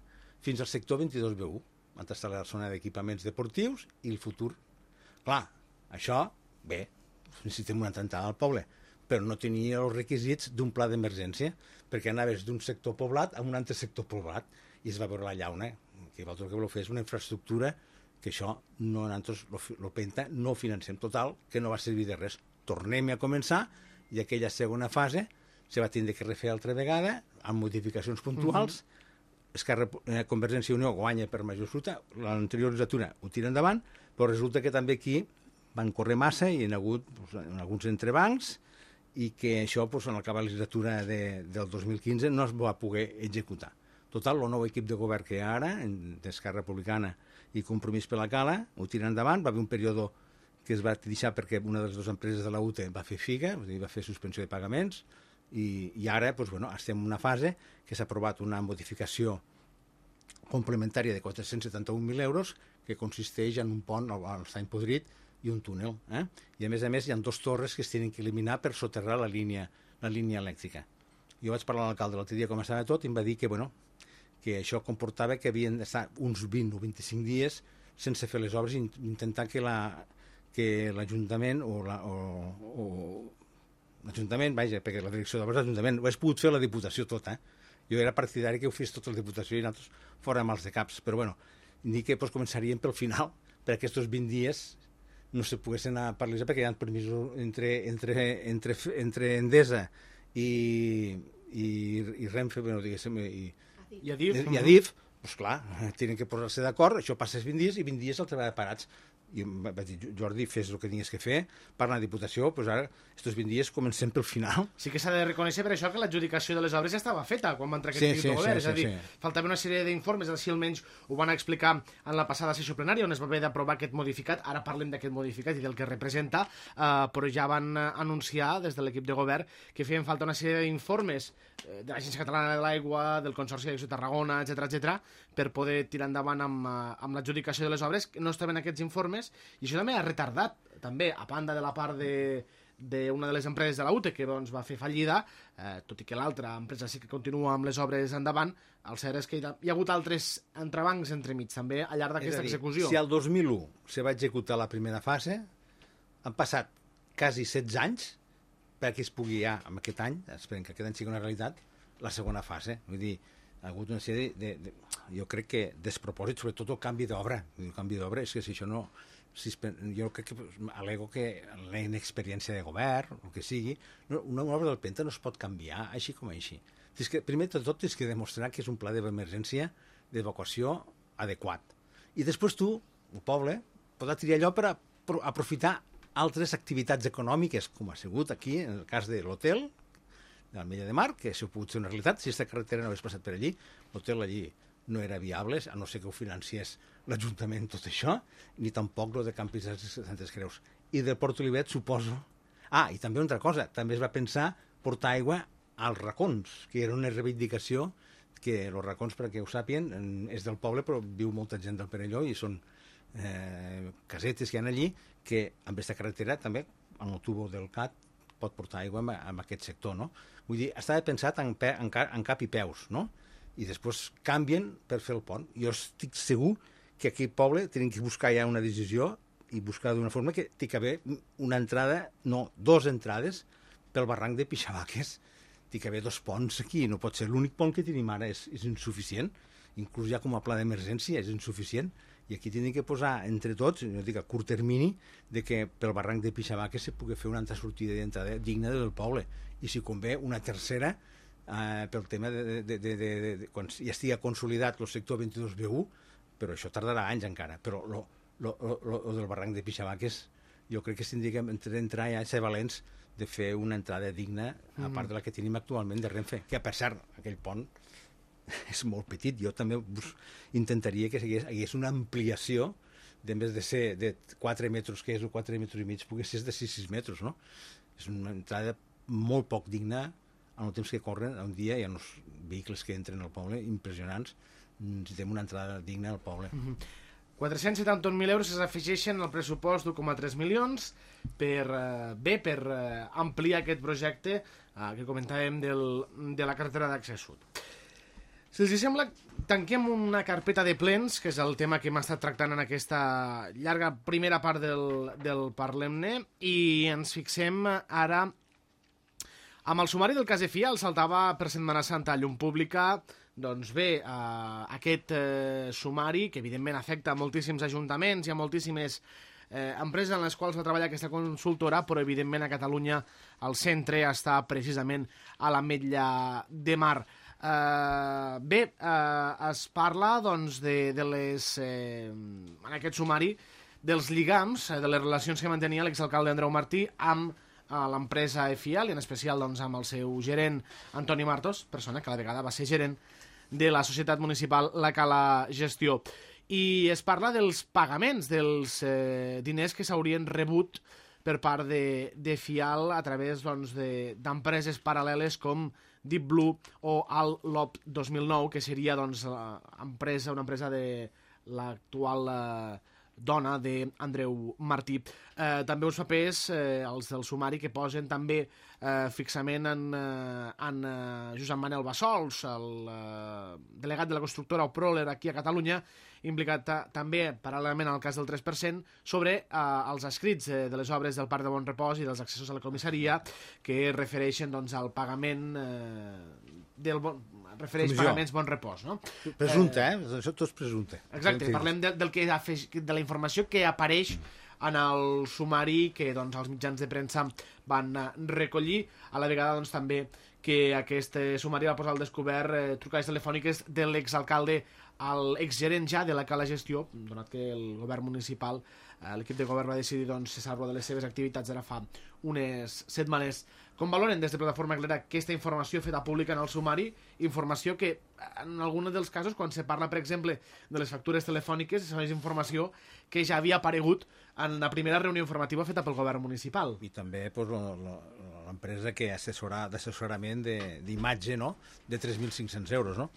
fins al sector vint-i-dos B u, on està la zona d'equipaments deportius i el futur. Clar, això, bé, necessitem una trentada al poble, però no tenia els requisits d'un pla d'emergència, perquè anaves d'un sector poblat a un altre sector poblat, i es va veure la llauna, que vosaltres que voleu fer és una infraestructura que això no, nosaltres el Penta no ho financem total, que no va servir de res. Tornem a començar i aquella segona fase se va tindre que refer altra vegada amb modificacions puntuals. Mm-hmm. Esquerra eh, Convergència i Unió guanya per major absoluta, l'anterior legislatura ho tira endavant, però resulta que també aquí van córrer massa i hi ha hagut pues, alguns entrebancs i que això pues, en acabar la legislatura de, del dos mil quinze no es va poder executar. Total, el nou equip de govern que hi ha ara, d'Esquerra Republicana i Compromís per la Cala, ho tira endavant, va haver un període que es va deixar perquè una de les dues empreses de la U T E va fer figa, va fer suspensió de pagaments, i, i ara pues, bueno, estem en una fase que s'ha aprovat una modificació complementària de quatre-cents setanta-un mil euros que consisteix en un pont al Estany Podrit i un túnel. Eh? I a més a més hi ha dues torres que es tenen que eliminar per soterrar la línia, la línia elèctrica. Jo vaig parlar amb l'alcalde l'altre dia com estava tot i em va dir que, bueno, que això comportava que havien d'estar uns vint o vint-i-cinc dies sense fer les obres i intentar que la que l'Ajuntament o, la, o, o l'Ajuntament, vaja, perquè la direcció d'obres de l'Ajuntament ho hagués pogut fer la Diputació tota. Eh? Jo era partidari que ho fes tota la Diputació i nosaltres fora mals de caps, però bueno, ni que pues, començaríem pel final, per aquests vint dies no se poguessin anar a parlar perquè hi ha permisos entre, entre, entre, entre Endesa i, i, i Renfe, bueno, diguéssim, i, I Adif, i Adif, doncs clar, tenen que posar-se d'acord, això passa vint dies i vint dies el treball parats. I em va dir, Jordi, fes el que tinguis que fer, parla de Diputació, doncs ara, aquests vint dies comencem pel final. Sí que s'ha de reconèixer per això que l'adjudicació de les obres ja estava feta quan va entrar aquest sí, equip sí, de govern, sí, és a dir, sí. faltava una sèrie d'informes, així almenys ho van explicar en la passada sessió plenària, on es va haver d'aprovar aquest modificat, ara parlem d'aquest modificat i del que representa, eh, però ja van anunciar des de l'equip de govern que feien falta una sèrie d'informes eh, de l'Agència Catalana de l'Aigua, del Consorci d'Aigües de Tarragona, etcètera, etcètera, per poder tirar endavant amb, amb l'adjudicació de les obres, que no estaven aquests informes, i això també ha retardat, també, a banda de la part de d'una de les empreses de la U T E que doncs, va fer fallida, eh, tot i que l'altra empresa sí que continua amb les obres endavant, el cert és que hi ha, hi ha hagut altres entrebancs entremig també al llarg d'aquesta execució. Si el dos mil u se va executar la primera fase, han passat quasi setze anys perquè es pugui ja, en aquest any, esperem que aquest any sigui una realitat, la segona fase. Vull dir, ha hagut una sèrie de, de, de jo crec que despropòsit, sobretot el canvi d'obra. El canvi d'obra és que si això no... Si es, jo crec que alego que la inexperiència de govern, el que sigui, no, una obra del Penta no es pot canviar així com així. És que, primer de tot, tens que demostrar que és un pla d'emergència d'evacuació adequat. I després tu, el poble, podrà triar allò per a, per a aprofitar altres activitats econòmiques, com ha sigut aquí, en el cas de l'hotel, de l'Ametlla de Mar, que això ha pogut ser una realitat. Si aquesta carretera no hagués passat per allí, l'hotel allí no era viable, a no ser que ho financiés l'Ajuntament tot això, ni tampoc el de Campis de Santes Creus. I del Port Olivet, suposo... Ah, i també una altra cosa, també es va pensar portar aigua als racons, que era una reivindicació que els racons, perquè ho sàpien, és del poble, però viu molta gent del Perelló i són eh, casetes que hi ha allí que amb aquesta carretera també en el tubo del C A T pot portar aigua en, en aquest sector, no? Vull dir, estava pensat en, pe, en, ca, en cap i peus, no? I després canvien per fer el pont. Jo estic segur que aquí al poble tenen que buscar ja una decisió i buscar d'una forma que té que haver una entrada, no, dos entrades pel barranc de Pixavaques. Té que haver dos ponts aquí, no pot ser. L'únic pont que tenim ara és, és insuficient, inclús ja com a pla d'emergència és insuficient, i aquí tenen que posar entre tots, jo dic a curt termini, de que pel barranc de Pixavaques se pugui fer una altra sortida d'entrada digna del poble, i si convé una tercera eh, pel tema de, de, de, de, de, de quan ja estigui consolidat el sector vint-i-dos B u, però això tardarà anys encara, però lo, lo, lo, lo del barranc de Pixavaques jo crec que s'indicà entrar ja a ser valents de fer una entrada digna, a part de la que tenim actualment de Renfe, que per cert, aquell pont és molt petit. Jo també intentaria que hi hagués, hi hagués una ampliació de més de ser de quatre metres, que és o quatre metres i mig, pogués ser de sis metres, no? És una entrada molt poc digna en el temps que corren. Un dia hi ha uns vehicles que entren al poble impressionants. Necessitem una entrada digna al poble. Mm-hmm. quatre-cents setanta mil euros s'afegeixen al pressupost d'u coma tres milions per, eh, bé, per eh, ampliar aquest projecte eh, que comentàvem del, de la carretera d'accés sud. Si els sembla, tanquem una carpeta de plens, que és el tema que hem estat tractant en aquesta llarga primera part del, del Parlem-ne, i ens fixem ara amb el sumari del cas de Fial. Saltava per Setmana Santa a llum pública. Doncs bé, eh, aquest eh, sumari, que evidentment afecta a moltíssims ajuntaments i a moltíssimes eh, empreses en les quals va treballar aquesta consultora, però evidentment a Catalunya el centre està precisament a l'Ametlla de Mar. Uh, bé, uh, es parla doncs, de, de les, eh, en aquest sumari dels lligams, eh, de les relacions que mantenia l'exalcalde Andreu Martí amb uh, l'empresa Fial, i en especial doncs, amb el seu gerent Antoni Martos, persona que a la vegada va ser gerent de la societat municipal La Cala Gestió. I es parla dels pagaments, dels eh, diners que s'haurien rebut per part de, de Fial a través doncs, d'empreses paral·leles com Deep Blue o Al Lob dos mil nou, que seria doncs, empresa, una empresa de l'actual eh, dona d'Andreu Martí. Eh, també uns papers, eh, els del sumari, que posen també eh, fixament en, eh, en eh, Josep Manel Bassols, el eh, delegat de la constructora Proler aquí a Catalunya, implicat també, paral·lelament al cas del tres per cent, sobre eh, els escrits eh, de les obres del Parc de Bon Repòs i dels accessos a la comissaria, que refereixen doncs, al pagament eh, del bon, refereix Comissió. Pagaments Bon Repòs, no? Presumpte, eh? Això tot és presumpte. Exacte, parlem de, del que afeix, de la informació que apareix en el sumari que doncs, els mitjans de premsa van eh, recollir, a la vegada doncs, també que aquest eh, sumari va posar al descobert eh, trucades telefòniques de l'exalcalde al exgerent ja de la Cala Gestió, donat que el govern municipal, eh, l'equip de govern va decidir doncs, cessar-lo de les seves activitats ara fa unes setmanes. Com valoren des de Plataforma Clara aquesta informació feta pública en el sumari? Informació que, en alguns dels casos, quan se parla, per exemple, de les factures telefòniques, és informació que ja havia aparegut en la primera reunió informativa feta pel govern municipal. I també pues, l'empresa que assessora d'assessorament d'imatge, no?, de tres mil cinc-cents euros, no?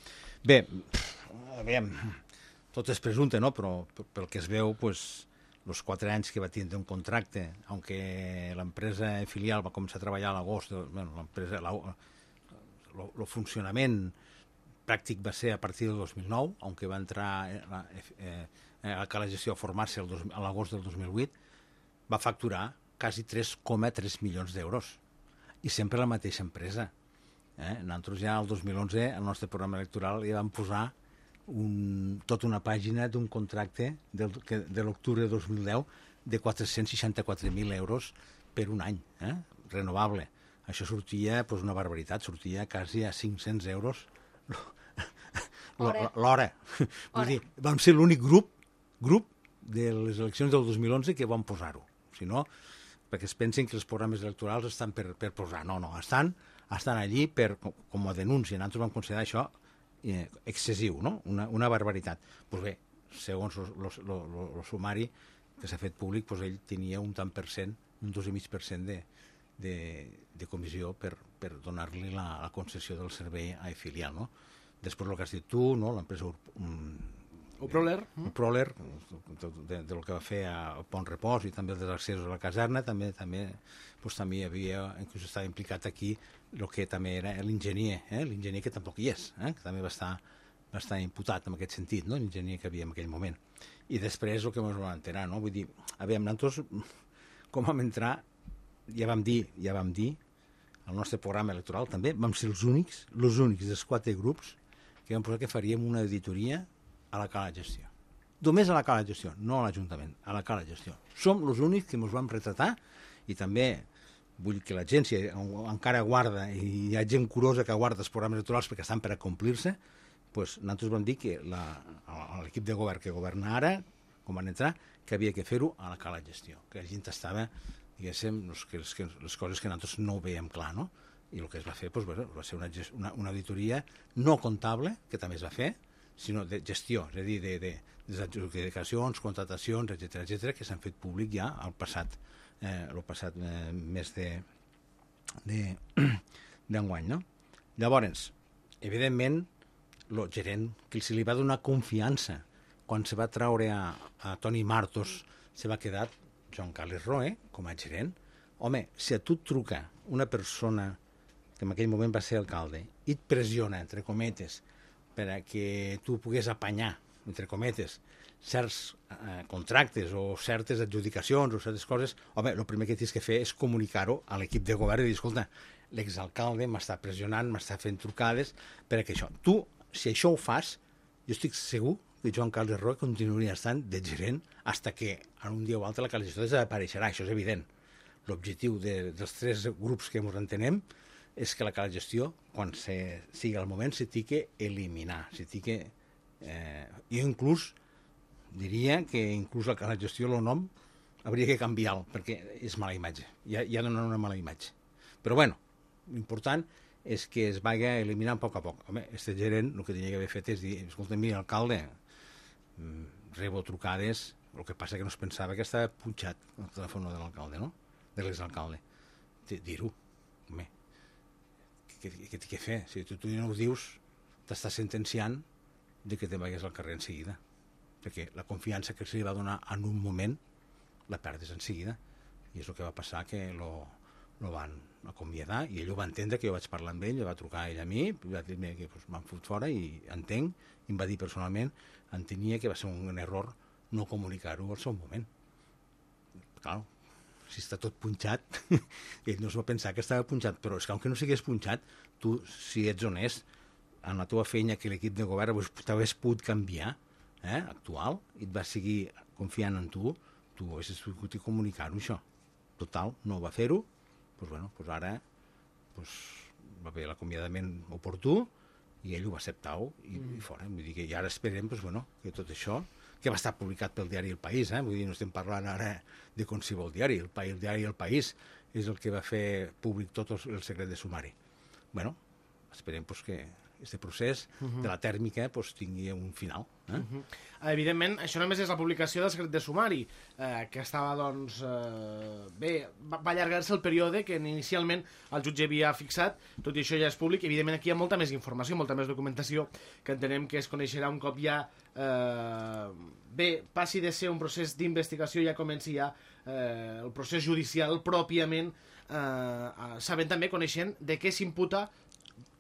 Bé, aviam, tot és presumpte, no?, però pel que es veu, pues, els quatre anys que va tindre un contracte, aunque l'empresa filial va començar a treballar a l'agost, bueno, l'empresa, el funcionament pràctic va ser a partir del dos mil nou, aunque va entrar a, eh, a Cala Gestió a formar-se a l'agost del dos mil vuit, va facturar quasi tres coma tres milions d'euros. I sempre la mateixa empresa. Eh? Nosaltres ja el dos mil onze, al nostre programa electoral, ja vam posar un, tota una pàgina d'un contracte del, que, de l'octubre de dos mil deu de quatre-cents seixanta-quatre mil euros per un any, eh? Renovable. Això sortia pues, una barbaritat, sortia quasi a cinc-cents euros l'hora. Vull dir, vam ser l'únic grup grup de les eleccions del dos mil onze que vam posar-ho. Si no, perquè es pensen que els programes electorals estan per, per posar. No, no, estan, estan allí per, com a denúncia. Nosaltres vam considerar això eh, excessiu, no? Una, una barbaritat. Pues bé, segons el sumari que s'ha fet públic, pues ell tenia un tant per cent, un dos i mig per cent de, de, de comissió per, per donar-li la, la concessió del servei a filial, no? Després el que has dit tu, no? L'empresa O Proler. El Proler, de, del que va fer a Pont Repòs i també dels accessos a la caserna, també també, doncs, també hi havia, inclús estava implicat aquí el que també era l'enginyer, eh? l'enginyer que tampoc hi és, eh? que també va estar, va estar imputat en aquest sentit, no? L'enginyer que havia en aquell moment. I després el que ens vam enterar, no? Vull dir, a veure, nosaltres, com vam entrar, ja vam dir, ja vam dir, el nostre programa electoral també, vam ser els únics, els únics dels quatre grups que vam posar que faríem una auditoria a la cala de gestió. Només a la cala de gestió, no a l'Ajuntament, a la cala de gestió. Som els únics que ens vam retratar i també vull que la gent, si encara guarda, i hi ha gent curosa que guarda els programes electorals perquè estan per a complir-se, doncs nosaltres vam dir que l'equip de govern que governa ara, com van entrar, que havia que fer-ho a la cala de gestió, que la gent estava, diguéssim, les, les coses que nosaltres no ho veiem clar, no? I el que es va fer doncs, va ser una, una, una auditoria no comptable, que també es va fer, sinó de gestió, és a dir, de, de, de adjudicacions, contratacions, etcètera, etcètera, que s'han fet públic ja al passat, eh, el passat eh, mes de d'enguany, no? Llavors, evidentment, el gerent que se li va donar confiança quan se va traure a, a Toni Martos, se va quedar Joan Carles Roé com a gerent. Home, si a tu et truca una persona que en aquell moment va ser alcalde i et pressiona, entre cometes, per a que tu pogués apanyar, entre cometes, certs eh, contractes o certes adjudicacions o certes coses, home, el primer que tens que fer és comunicar-ho a l'equip de govern i dir, escolta, l'exalcalde m'està pressionant, m'està fent trucades per a que això. Tu, si això ho fas, jo estic segur que Joan Carles Roé continuaria estant de gerent fins que en un dia o altre la calificació desapareixerà, això és evident. L'objectiu de, dels tres grups que ens entenem és que la cala de gestió, quan se, sigui el moment, se tingui que eliminar. Se tingui, eh, jo inclús diria que inclús la cala de gestió, el nom, hauria que canviar-lo, perquè és mala imatge. Ja, ja dona una mala imatge. Però bueno, l'important és que es vagi eliminant a poc a poc. Home, este gerent el que tenia que haver fet és dir, escolta, mira, alcalde, rebo trucades, el que passa que no es pensava que estava punxat el telèfon de l'alcalde, no? De l'exalcalde. Dir-ho, home, què té que fer? Si tu, tu no ho dius, t'estàs sentenciant de que te vagis al carrer en seguida. Perquè la confiança que se li va donar en un moment la perdes en seguida. I és el que va passar, que lo, lo van acomiadar i ell ho va entendre, que jo vaig parlar amb ell, va trucar ell a mi, va dir-me que pues, m'han fot fora i entenc, i em va dir personalment, entenia que va ser un error no comunicar-ho al seu moment. Clar, si està tot punxat, ell no es va pensar que estava punxat, però és que aunque no sigués punxat, tu, si ets honest, en la teva feina que l'equip de govern t'hagués pogut canviar, eh, actual, i et va seguir confiant en tu, tu haguessis pogut comunicar-ho, això. Total, no va fer-ho, doncs bueno, doncs ara doncs, va haver l'acomiadament oportú, i ell ho va acceptar-ho i, mm. i fora. Vull dir que i ara esperem doncs, bueno, que tot això, que va estar publicat pel diari El País, eh? Vull dir, no estem parlant ara de qualsevol diari, el, el diari El País és el que va fer públic tot el secret de sumari. Bueno, esperem pues, que aquest procés uh -huh. de la tèrmica pues, tingui un final. Eh? Uh -huh. Evidentment, això només és la publicació del secret de sumari, eh, que estava, doncs, eh, bé, va, va allargar-se el període que inicialment el jutge havia fixat, tot i això ja és públic, evidentment aquí hi ha molta més informació, molta més documentació, que entenem que es coneixerà un cop ja, eh, bé, passi de ser un procés d'investigació, ja comenci ja eh, el procés judicial pròpiament, eh, sabent també, coneixent de què s'imputa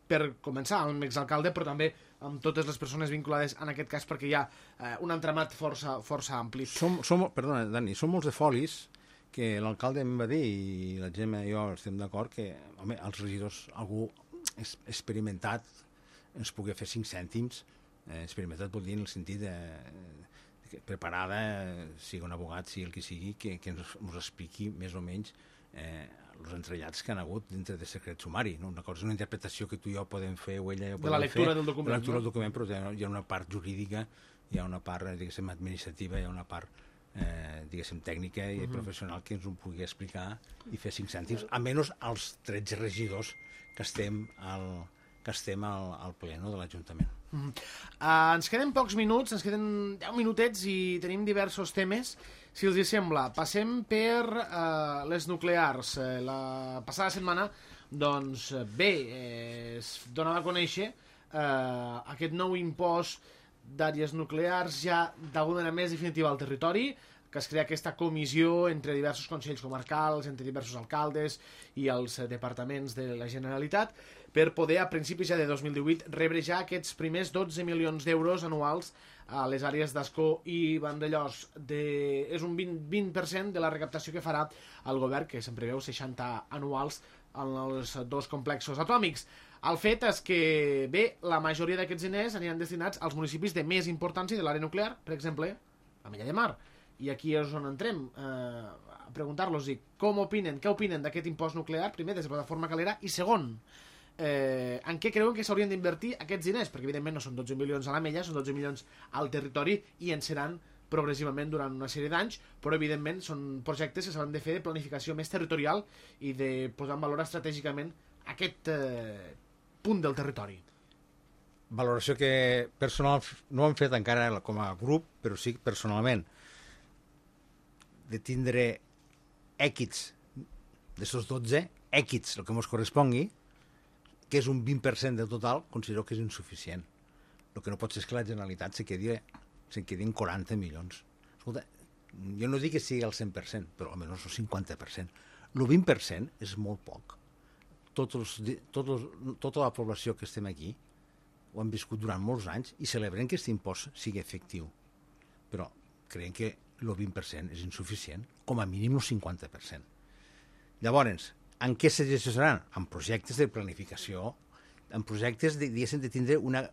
per començar amb l'exalcalde, però també amb totes les persones vinculades en aquest cas, perquè hi ha eh, un entramat força, força ampli. Som, som, perdona, Dani, són molts de folis que l'alcalde em va dir, i la Gemma i jo estem d'acord, que home, els regidors, algú experimentat ens pugui fer cinc cèntims, eh, experimentat vol dir en el sentit de, de preparada, sigui un abogat, sigui el que sigui, que, que ens, ens expliqui més o menys eh, els entrellats que han hagut dintre de secret sumari. No? Una cosa és una interpretació que tu i jo podem fer, o ella ja de la lectura fer, del document. De la lectura no? del document, però hi ha una part jurídica, hi ha una part, diguéssim, administrativa, hi ha una part, eh, diguéssim, tècnica i uh -huh. professional que ens ho pugui explicar i fer cinc cèntims, almenys als tretze regidors que estem al, que estem al, al ple no, de l'Ajuntament. Uh -huh. uh, ens queden pocs minuts, ens queden deu minutets i tenim diversos temes. Si els hi sembla, passem per uh, les nuclears. Uh, la passada setmana, doncs, bé, eh, es donava a conèixer uh, aquest nou impost d'àrees nuclears ja d'alguna manera més definitiva al territori, que es crea aquesta comissió entre diversos consells comarcals, entre diversos alcaldes i els departaments de la Generalitat, per poder, a principis ja de dos mil divuit, rebre ja aquests primers dotze milions d'euros anuals a les àrees d'Ascó i Vandellòs. De... És un vint, vint per cent de la recaptació que farà el govern, que se'n preveu seixanta anuals en els dos complexos atòmics. El fet és que, bé, la majoria d'aquests diners aniran destinats als municipis de més importància de l'àrea nuclear, per exemple, a Mella de Mar. I aquí és on entrem, eh, a preguntar-los com opinen, què opinen d'aquest impost nuclear, primer, des de Plataforma Calera, i segon, eh, en què creuen que s'haurien d'invertir aquests diners, perquè evidentment no són dotze milions a la Mella, són dotze milions al territori i en seran progressivament durant una sèrie d'anys, però evidentment són projectes que s'han de fer de planificació més territorial i de posar en valor estratègicament aquest eh, punt del territori. Valoració que personal no ho hem fet encara com a grup, però sí personalment, de tindre èquits d'aquests dotze, èquits, el que ens correspongui, que és un vint per cent del total, considero que és insuficient. El que no pot ser és que la Generalitat se quedi, se quedi en quaranta milions. Escolta, jo no dic que sigui el cent per cent, però almenys el cinquanta per cent. El vint per cent és molt poc. Tots els, tots els, tota la població que estem aquí ho han viscut durant molts anys i celebrem que aquest impost sigui efectiu. Però creiem que el vint per cent és insuficient, com a mínim el cinquanta per cent. Llavors, en què se gestionaran? En projectes de planificació, en projectes de, de tindre una,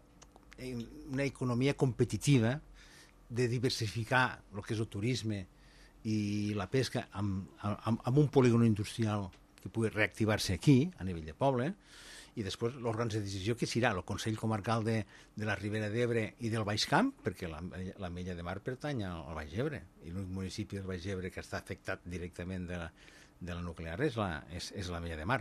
una economia competitiva, de diversificar el que és el turisme i la pesca amb, amb, amb un polígon industrial que pugui reactivar-se aquí, a nivell de poble, i després l'òrgan de decisió que serà el Consell Comarcal de, de la Ribera d'Ebre i del Baix Camp, perquè la, la Mella de Mar pertany al Baix Ebre, i l'únic municipi del Baix Ebre que està afectat directament de la, de la nuclear és la, és, és la Mella de Mar.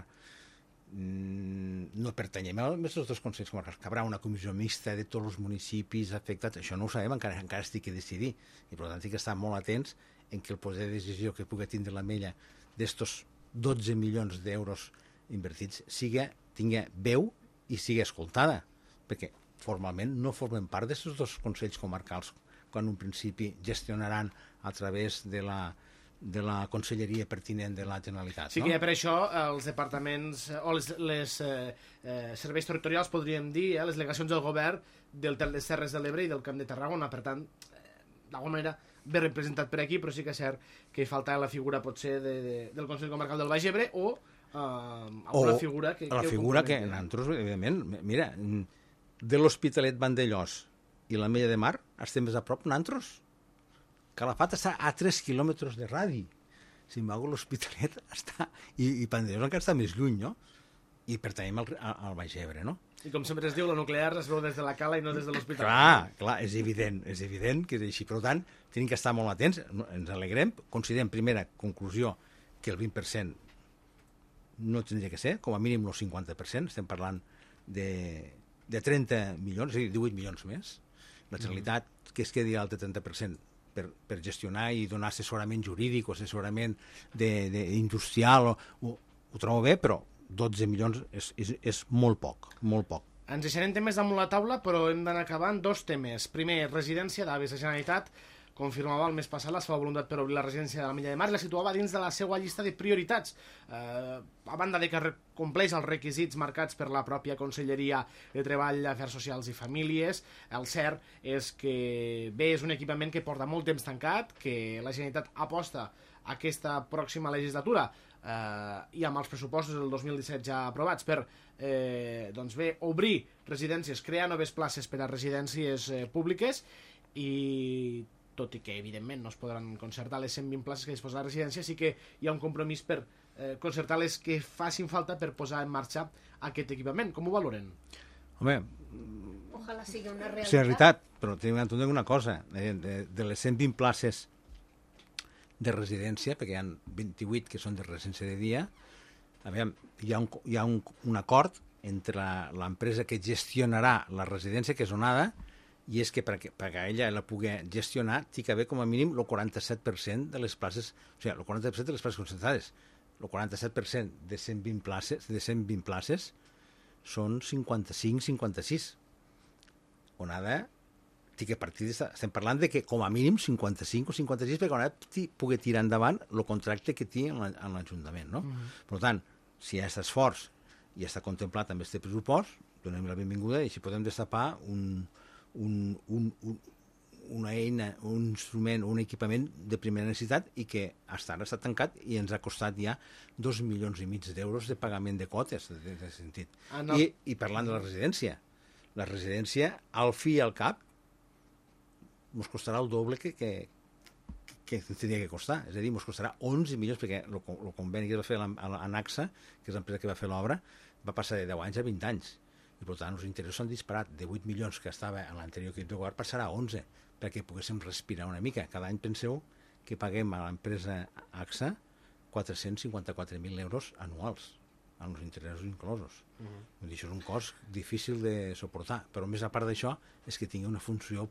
Mm, no pertanyem a els dos consells comarcals, que haurà una comissió mixta de tots els municipis afectats, això no ho sabem, encara, encara estic a decidir, i per tant estic que estar molt atents en que el poder de decisió que pugui tindre la Mella d'estos dotze milions d'euros invertits siga, tingui veu i sigui escoltada, perquè formalment no formen part d'aquests dos consells comarcals quan un principi gestionaran a través de la, de la conselleria pertinent de la Generalitat. Sí no? que per això els departaments o les, les eh, eh, serveis territorials, podríem dir, eh, les delegacions del govern del de les Terres de l'Ebre i del Camp de Tarragona, per tant, eh, d'alguna manera ben representat per aquí, però sí que és cert que falta la figura potser de, de, del Consell Comarcal del Baix Ebre o Uh, alguna o figura que, la que figura que nosaltres, evidentment, mira, de l'Hospitalet Vandellòs i la Mella de Mar estem més a prop nosaltres. Calafat està a tres quilòmetres de radi. Sin embargo, l'Hospitalet està i, i Vandellòs encara està més lluny, no? I pertanyem al, al Baix Ebre, no? I com sempre es diu, la nuclear es veu des de la cala i no des de l'hospital. Clar, clar, és evident, és evident que és així. Per tant, tenim que estar molt atents, ens alegrem, considerem, primera conclusió, que el vint per cent no tindria que ser, com a mínim el cinquanta per cent, estem parlant de, de trenta milions, és a dir, divuit milions més. La Generalitat, mm. que es quedi al trenta per cent per, per gestionar i donar assessorament jurídic o assessorament de, de industrial, o, ho, ho trobo bé, però dotze milions és, és, és molt poc, molt poc. Ens deixarem temes damunt la taula, però hem d'anar acabant dos temes. Primer, residència d'avis. La Generalitat confirmava el mes passat la seva voluntat per obrir la residència de la Mella de Mar i la situava dins de la seva llista de prioritats. Eh, a banda de que compleix els requisits marcats per la pròpia Conselleria de Treball, Afers Socials i Famílies, el cert és que bé, és un equipament que porta molt temps tancat, que la Generalitat aposta aquesta pròxima legislatura eh, i amb els pressupostos del dos mil disset ja aprovats per eh, doncs bé, obrir residències, crear noves places per a residències eh, públiques i tot i que, evidentment, no es podran concertar les cent vint places que disposa la residència, sí que hi ha un compromís per eh, concertar les que facin falta per posar en marxa aquest equipament. Com ho valoren? Home, Ojalà sigui una realitat. és veritat, però tenim d'entendre una cosa. De, de, de les cent vint places de residència, perquè hi ha vint-i-vuit que són de residència de dia, a veure, hi ha un, hi ha un, un acord entre l'empresa que gestionarà la residència, que és Onada, i és que perquè, perquè ella la pugui gestionar té que haver com a mínim el quaranta-set per cent de les places, o sigui, el quaranta per cent de les places concentrades. El quaranta-set per cent de cent vint places, de cent vint places són cinquanta-cinc cinquanta-sis. Onada que a partir de, estem parlant de que com a mínim cinquanta-cinc o cinquanta-sis perquè ara pugui tirar endavant el contracte que té en l'Ajuntament, no? Mm-hmm. Per tant, si hi ha aquest esforç i està contemplat amb aquest pressupost, donem la benvinguda i si podem destapar un, un, un, un, una eina, un instrument, un equipament de primera necessitat i que fins ara està tancat i ens ha costat ja dos milions i mig d'euros de pagament de quotes, en aquest sentit. Ah, no. I, I parlant de la residència, la residència, al fi i al cap, ens costarà el doble que, que, que ens tenia que costar. És a dir, ens costarà onze milions, perquè el, el conveni que va fer l'ANAXA, que és l'empresa que va fer l'obra, va passar de deu anys a vint anys. I, per tant, els interessos s'han disparat. De vuit milions que estava en l'anterior equip de govern passarà a onze, perquè poguéssim respirar una mica. Cada any penseu que paguem a l'empresa AXA quatre-cents cinquanta-quatre mil euros anuals, amb els interessos inclosos. Uh-huh. Això és un cost difícil de suportar, però més a part d'això és que tingui una funció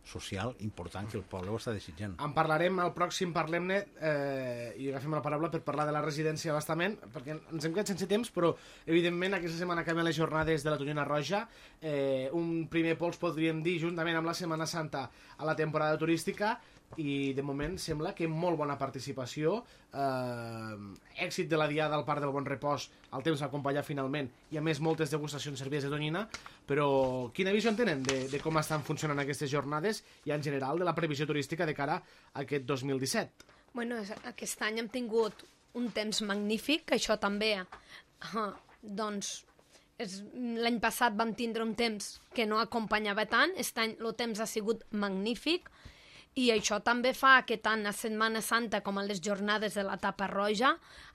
social important que el poble ho està desitjant. En parlarem al pròxim Parlem-ne eh, i agafem la paraula per parlar de la residència bastament, perquè ens hem quedat sense temps, però evidentment aquesta setmana acabem les jornades de la Tonyina Roja. Eh, un primer pols podríem dir juntament amb la Setmana Santa a la temporada turística i de moment sembla que molt bona participació, eh, èxit de la diada al Parc del Bon Repòs, el temps va acompanyar finalment i a més moltes degustacions servides de tonyina, però quina visió en tenen de, de com estan funcionant aquestes jornades i en general de la previsió turística de cara a aquest dos mil disset? Bueno, aquest any hem tingut un temps magnífic, això també, uh, doncs, l'any passat vam tindre un temps que no acompanyava tant, aquest any el temps ha sigut magnífic, i això també fa que tant a Setmana Santa com a les jornades de la Tapa Roja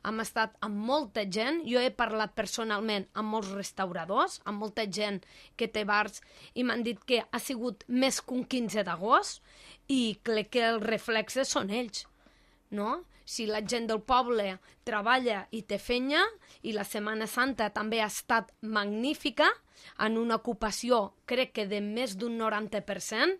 hem estat amb molta gent. Jo he parlat personalment amb molts restauradors, amb molta gent que té bars, i m'han dit que ha sigut més que un quinze d'agost i crec que els reflexes són ells, no? Si la gent del poble treballa i té fenya, i la Setmana Santa també ha estat magnífica, en una ocupació crec que de més d'un noranta per cent,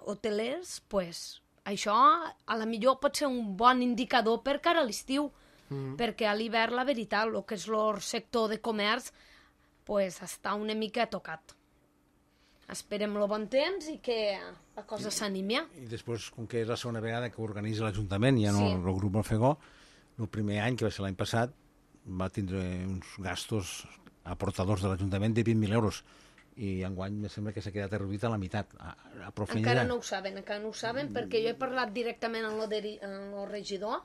hotelers, pues, això a la millor pot ser un bon indicador per cara a l'estiu, mm. perquè a l'hivern, la veritat, el que és el sector de comerç, pues, està una mica tocat. Esperem el bon temps i que la cosa s'animi. I després, com que és la segona vegada que organitza l'Ajuntament, ja no sí. el grup Alfegó, el primer any, que va ser l'any passat, va tindre uns gastos aportadors de l'Ajuntament de vint mil euros. I enguany me sembla que s'ha quedat reduït a la meitat. A, a encara no ho saben, encara no ho saben, perquè jo he parlat directament amb el regidor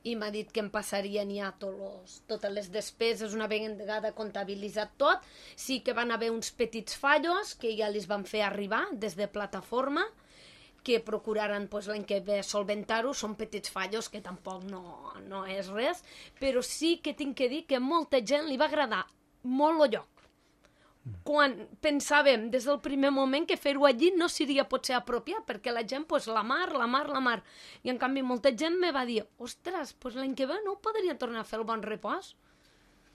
i m'ha dit que em passarien ja tots, totes les despeses una vegada comptabilitzat tot. Sí que van haver uns petits fallos que ja els van fer arribar des de plataforma, que procuraran pues, l'any que ve solventar-ho. Són petits fallos que tampoc no, no és res, però sí que tinc que dir que a molta gent li va agradar molt el lloc. Quan pensàvem des del primer moment que fer-ho allí no seria potser apropiat, perquè la gent, pues, la mar, la mar, la mar. I en canvi molta gent me va dir, ostres, pues, l'any que ve no ho podria tornar a fer el Bon Repòs?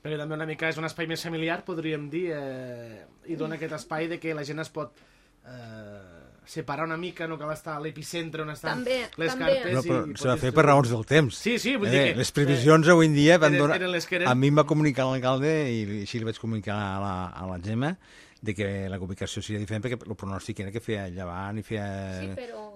Perquè també una mica és un espai més familiar, podríem dir, eh, i dona aquest espai de que la gent es pot eh, separar una mica, no cal estar a l'epicentre on estan també, les també. carpes. No, però s'ha de fer per raons del temps. Sí, sí, vull eh, dir que... Les previsions eh, avui en dia van eren, donar... eren les que eren... A mi em va comunicar l'alcalde, i així li vaig comunicar a la, a la Gemma, de que la ubicació seria diferent perquè el pronòstic era que feia llevant i feia... Sí, però,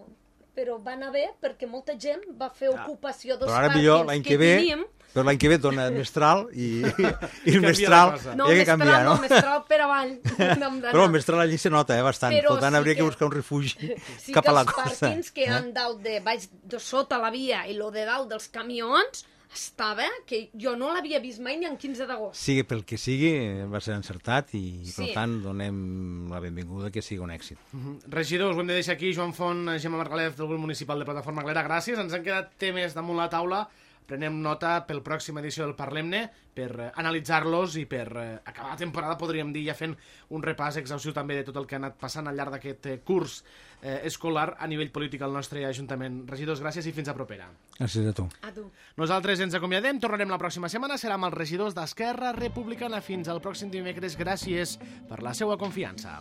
però van haver perquè molta gent va fer ocupació dels però ara pàrquings millor, l'any que, que ve, teníem. Però l'any que ve dona Mestral i, i el Mestral no, hi ha que canviar, no? No, Mestral per avall. Però el Mestral allí se nota, eh, bastant. Però per tant, sí hauria que, que buscar un refugi sí cap a la costa. Sí que els costa. pàrquings que eh? han dalt de, baix, de sota la via i lo de dalt dels camions estava, que jo no l'havia vist mai ni en quinze d'agost. Sigui pel que sigui, va ser encertat i, sí. per tant, donem la benvinguda que sigui un èxit. Uh-huh. Regidors, ho hem de deixar aquí. Joan Font, Gemma Margalef, del grup municipal de Plataforma Glera, gràcies. Ens han quedat temes damunt la taula. Prenem nota pel pròxima edició del Parlem-ne per eh, analitzar-los i per eh, acabar la temporada, podríem dir, ja fent un repàs exhaustiu també de tot el que ha anat passant al llarg d'aquest eh, curs eh, escolar a nivell polític al nostre Ajuntament. Regidors, gràcies i fins a propera. Gràcies a tu. A tu. Nosaltres ens acomiadem, tornarem la pròxima setmana, serà amb els regidors d'Esquerra Republicana. Fins al pròxim dimecres, gràcies per la seva confiança.